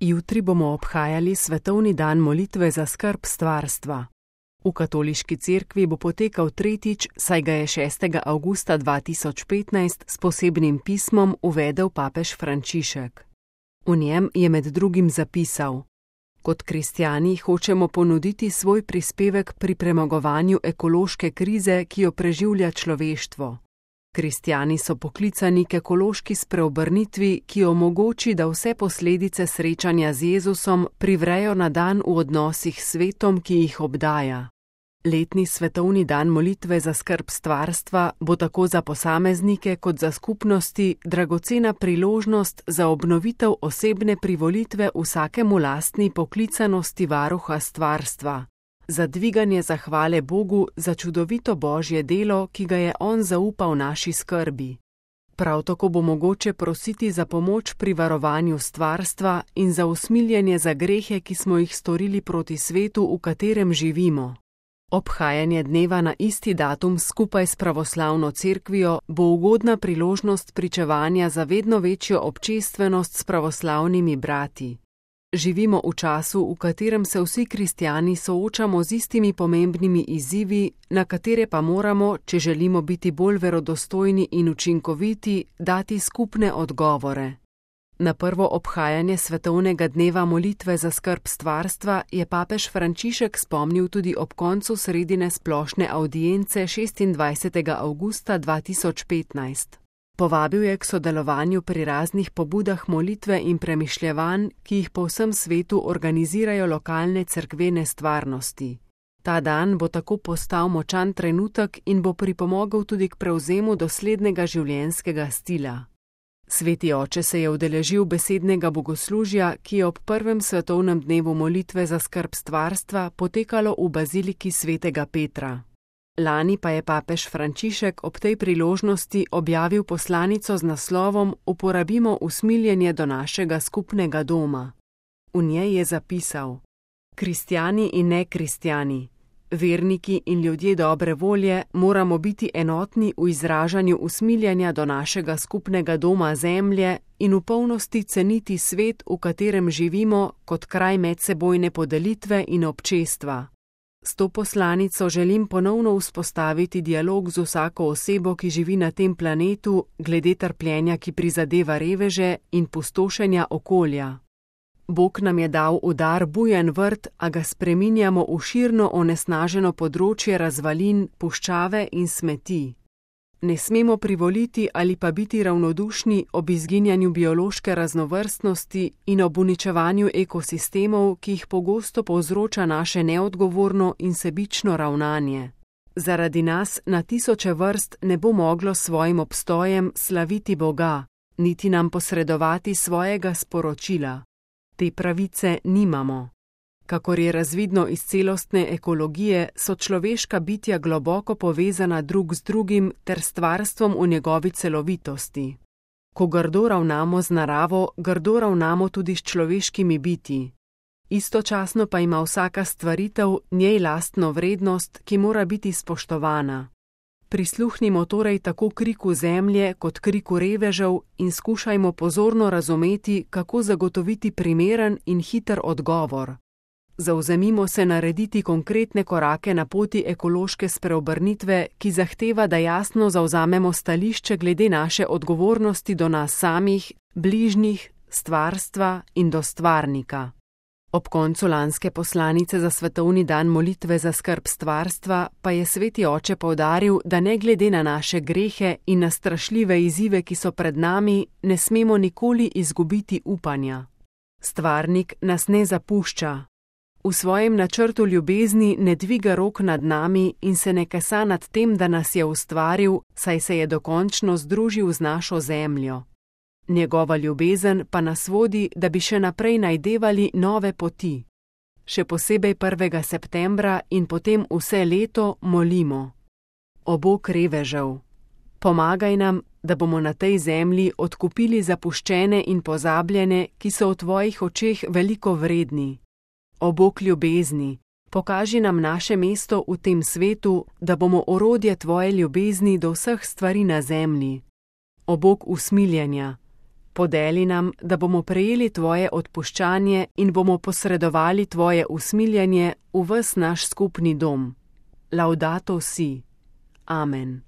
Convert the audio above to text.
Jutri bomo obhajali svetovni dan molitve za skrb stvarstva. V katoliški cerkvi bo potekal tretjič, saj ga je 6. avgusta 2015 s posebnim pismom uvedel papež Frančišek. V njem je med drugim zapisal: Kot kristjani hočemo ponuditi svoj prispevek pri premagovanju ekološke krize, ki jo preživlja človeštvo. Kristjani so poklicani k ekološki spreobrnitvi, ki omogoči, da vse posledice srečanja z Jezusom privrejo na dan v odnosih s svetom, ki jih obdaja. Letni svetovni dan molitve za skrb stvarstva bo tako za posameznike kot za skupnosti dragocena priložnost za obnovitev osebne privolitve vsakemu lastni poklicanosti varuha stvarstva, za dviganje zahvale Bogu za čudovito Božje delo, ki ga je On zaupal naši skrbi. Prav tako bo mogoče prositi za pomoč pri varovanju stvarstva in za usmiljenje za grehe, ki smo jih storili proti svetu, v katerem živimo. Obhajanje dneva na isti datum skupaj s pravoslavno cerkvijo bo ugodna priložnost pričevanja za vedno večjo občestvenost s pravoslavnimi brati. Živimo v času, v katerem se vsi kristjani soočamo z istimi pomembnimi izzivi, na katere pa moramo, če želimo biti bolj verodostojni in učinkoviti, dati skupne odgovore. Na prvo obhajanje svetovnega dneva molitve za skrb stvarstva je papež Frančišek spomnil tudi ob koncu sredine splošne avdience 26. avgusta 2015. Povabil je k sodelovanju pri raznih pobudah molitve in premišljevanj, ki jih po vsem svetu organizirajo lokalne cerkvene stvarnosti. Ta dan bo tako postal močan trenutek in bo pripomogel tudi k prevzemu doslednega življenjskega stila. Sveti oče se je udeležil besednega bogoslužja, ki je ob prvem svetovnem dnevu molitve za skrb stvarstva potekalo v baziliki svetega Petra. Lani pa je papež Frančišek ob tej priložnosti objavil poslanico z naslovom Uporabimo usmiljenje do našega skupnega doma. V njej je zapisal: Kristjani in nekristjani, verniki in ljudje dobre volje moramo biti enotni v izražanju usmiljenja do našega skupnega doma zemlje in v polnosti ceniti svet, v katerem živimo, kot kraj medsebojne podelitve in občestva. S to poslanico želim ponovno vzpostaviti dialog z vsako osebo, ki živi na tem planetu, glede trpljenja, ki prizadeva reveže in pustošenja okolja. Bog nam je dal v dar bujen vrt, a ga spreminjamo v širno onesnaženo področje razvalin, puščave in smeti. Ne smemo privoliti ali pa biti ravnodušni ob izginjanju biološke raznovrstnosti in ob uničevanju ekosistemov, ki jih pogosto povzroča naše neodgovorno in sebično ravnanje. Zaradi nas na tisoče vrst ne bo moglo svojim obstojem slaviti Boga, niti nam posredovati svojega sporočila. Te pravice nimamo. Kakor je razvidno iz celostne ekologije, so človeška bitja globoko povezana drug z drugim ter stvarstvom v njegovi celovitosti. Ko grdo ravnamo z naravo, grdo ravnamo tudi s človeškimi bitji. Istočasno pa ima vsaka stvaritev njej lastno vrednost, ki mora biti spoštovana. Prisluhnimo torej tako kriku zemlje kot kriku revežev in skušajmo pozorno razumeti, kako zagotoviti primeren in hiter odgovor. Zavzemimo se narediti konkretne korake na poti ekološke spreobrnitve, ki zahteva, da jasno zavzamemo stališče glede naše odgovornosti do nas samih, bližnjih, stvarstva in do stvarnika. Ob koncu lanske poslanice za svetovni dan molitve za skrb stvarstva pa je sveti oče poudaril, da ne glede na naše grehe in na strašljive izzive, ki so pred nami, ne smemo nikoli izgubiti upanja. Stvarnik nas ne zapušča. V svojem načrtu ljubezni ne dviga rok nad nami in se ne kesa nad tem, da nas je ustvaril, saj se je dokončno združil z našo zemljo. Njegova ljubezen pa nas vodi, da bi še naprej najdevali nove poti. Še posebej 1. septembra in potem vse leto molimo. O Bog revežev, pomagaj nam, da bomo na tej zemlji odkupili zapuščene in pozabljene, ki so v tvojih očeh veliko vredni. O Bog ljubezni, pokaži nam naše mesto v tem svetu, da bomo orodje tvoje ljubezni do vseh stvari na zemlji. O Bog usmiljenja, Podeli nam, da bomo prejeli tvoje odpuščanje in bomo posredovali tvoje usmiljenje v ves naš skupni dom. Laudato si. Amen.